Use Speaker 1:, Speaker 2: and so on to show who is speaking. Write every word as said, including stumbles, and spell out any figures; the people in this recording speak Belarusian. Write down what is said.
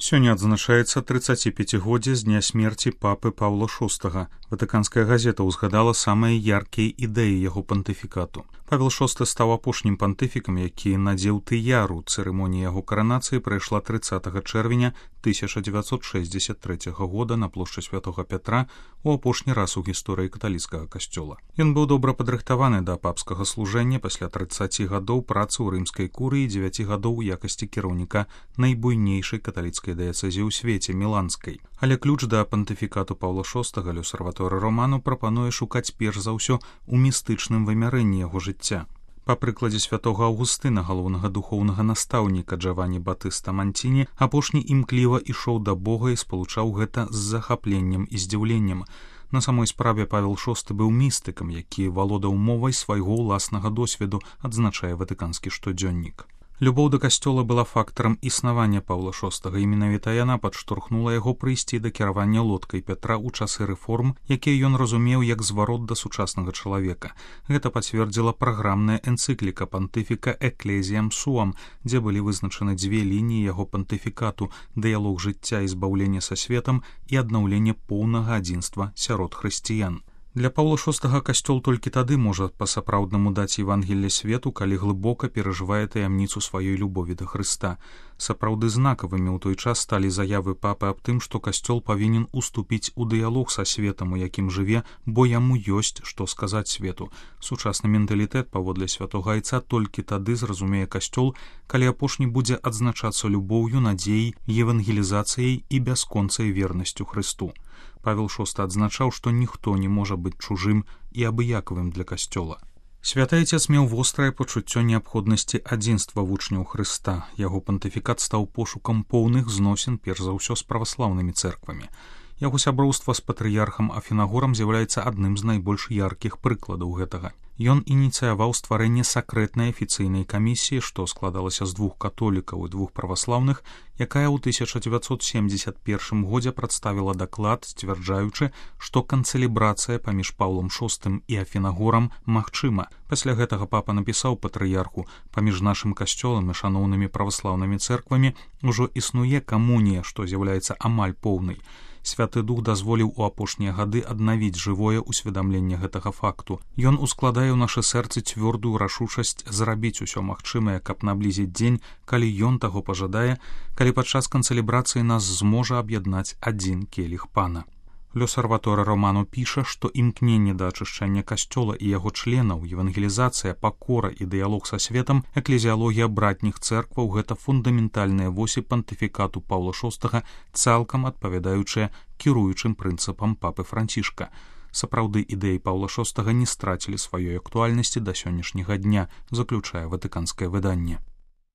Speaker 1: Сёння адзначаецца трыццаціпяцігоддзе з дня смерці папы Паўла шостага. Ватыканская газета ўзгадала самыя яркія ідэі яго пантыфікату. Павел шосты стаў апошнім пантыфікам, які надзеў тыяру. Цырымонія яго каранацыі прайшла трыццатага чэрвеня тысяча дзевяцьсот шэсцьдзесят трэцяга года на плошчы Святога Пятра у апошні раз у гісторыі каталіцкага касцёла. Ён быў добра падрыхтаваны да папскага служэння пасля трыццаці гадоў працы ў рымскай курыі і дзевяці гадоў у якасці кіраўніка найбуйнейшай каталіцкай дыяцэзіі ў свеце міланскай. Але ключ да пантыфікату Паўла шостага L'Osservatore Romano прапануе шукаць перш за ўсё у містычным вымярэнні яго жыцця. Па прыкладзе святога Аўгустына, галоўнага духоўнага настаўніка Джавані Батыста Манціні, апошні імкліва ішоў да Бога і спалучаў гэта з захапленнем і здзіўленнем. На самой справе Павел шосты быў містыкам, які валодаў мовай свайго ўласнага досведу, адзначае ватыканскі штодзённік. Любоў да касцёла была фактарам існавання Паўла шостага, і менавіта яна падштурхнула яго прыйсці да кіравання лодкай Пятра ў часы рэформ, якія ён разумеў як зварот да сучаснага чалавека. Гэта пацвердзіла праграмная энцыкліка пантыфіка «Ecclesiam Suam», дзе былі вызначаны дзве лініі яго пантыфікату – дыялог жыцця і збаўлення са светам і аднаўленне поўнага адзінства сярод хрысціян. Для Паўла шостага касцёл толькі тады можа па-сапраўднаму даць Евангелле свету, калі глыбока перажывае таямніцу сваёй любові да Хрыста. Сапраўды знакавымі ў той час сталі заявы папы аб тым, што касцёл павінен уступіць у дыялог са светам, у якім жыве, бо яму ёсць што сказаць свету. Сучасны менталітэт, паводле святога айца, толькі тады зразумее касцёл, калі апошні будзе адзначацца любоўю, надзеяй, евангелізацыяй і бясконцай вернасцю Хрысту. Павел шосты адзначаў, што ніхто не можа быць чужым і абыякавым для касцёла. Святы Айцец меў вострае пачуццё неабходнасці адзінства вучняў Хрыста. Яго пантыфікат стаў пошукам поўных зносін, перш за ўсё, з праваслаўнымі цэрквамі. Яго сяброўства з патрыярхам Афінагорам з'яўляецца адным з найбольш яркіх прыкладаў гэтага. Ён ініцыяваў стварэнне сакрэтнай афіцыйнай камісіі, што складалася з двух католікаў і двух праваслаўных, якая ў тысяча дзевяцьсот семдзесят першым годзе прадставіла даклад, сцвярджаючы, што канцэлібрацыя паміж Паўлам шостым і Афінагорам магчыма. Пасля гэтага папа напісаў патрыярху: «Паміж нашым касцёлам і шаноўнымі праваслаўнымі цэрквамі ўжо існуе камунія, што з'яўляецца амаль поўнай. Святы Дух дазволіў у апошнія гады аднавіць жывое ўсведамленне гэтага факту. Ён ускладае ў нашы сэрцы цвёрдую рашучасць зрабіць усё магчымае, каб наблізіць дзень, калі ён таго пажадае, калі падчас канцэлібрацыі нас зможа аб'яднаць адзін келіх пана». L'Osservatore Romano піша, што імкненне да ачышчання касцёла і яго членаў, евангелізацыя, пакора і дыялог са светам, эклезіялогія братніх цэркваў – гэта фундаментальныя восі пантыфікату Паўла шостага, цалкам адпавядаючыя кіруючым прынцыпам папы Францішка. Сапраўды ідэі Паўла шостага не страцілі сваёй актуальнасці да сённяшняга дня, заключае ватыканскае выданне.